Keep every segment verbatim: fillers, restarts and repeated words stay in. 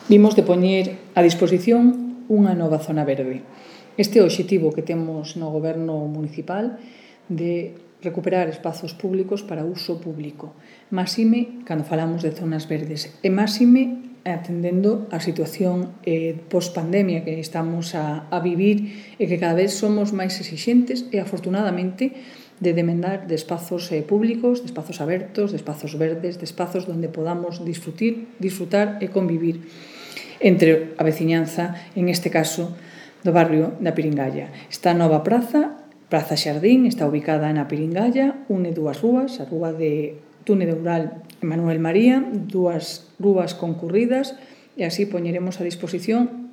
vimos de poñer a disposición unha nova zona verde. Este é o obxectivo que temos no Goberno municipal de recuperar espazos públicos para uso público. Máxime cando falamos de zonas verdes e máxime atendendo a situación eh, post-pandemia que estamos a, a vivir e que cada vez somos máis exixentes e afortunadamente de demandar de espazos eh, públicos, de espazos abertos, de espazos verdes, de espazos donde podamos disfrutir, disfrutar e convivir entre a veciñanza, en este caso, do barrio da Piringalla. Esta nova praza, Praza Xardín, está ubicada na Piringalla, une dúas rúas, a rúa de Túnel Rural Manuel María, dúas rúas concurridas, e así poñeremos a disposición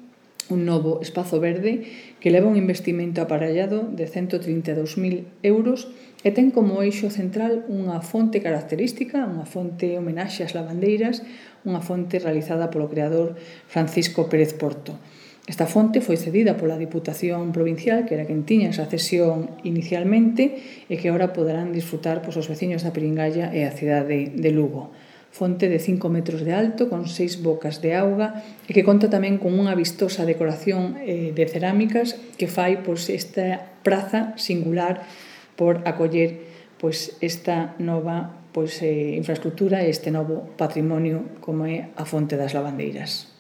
un novo espazo verde que leva un investimento aparellado de cento trinta e dous mil euros e ten como eixo central unha fonte característica, unha fonte homenaxe ás lavandeiras, unha fonte realizada polo creador Francisco Pérez Porto. Esta fonte foi cedida pola Diputación Provincial, que era quen tiña esa cesión inicialmente, e que agora poderán disfrutar pois, os veciños da Piringalla e a cidade de Lugo. Fonte de cinco metros de alto, con seis bocas de auga, e que conta tamén con unha vistosa decoración eh, de cerámicas que fai pois, esta praza singular por acoller pois, esta nova pois, eh, infraestructura e este novo patrimonio como é a Fonte das Lavandeiras.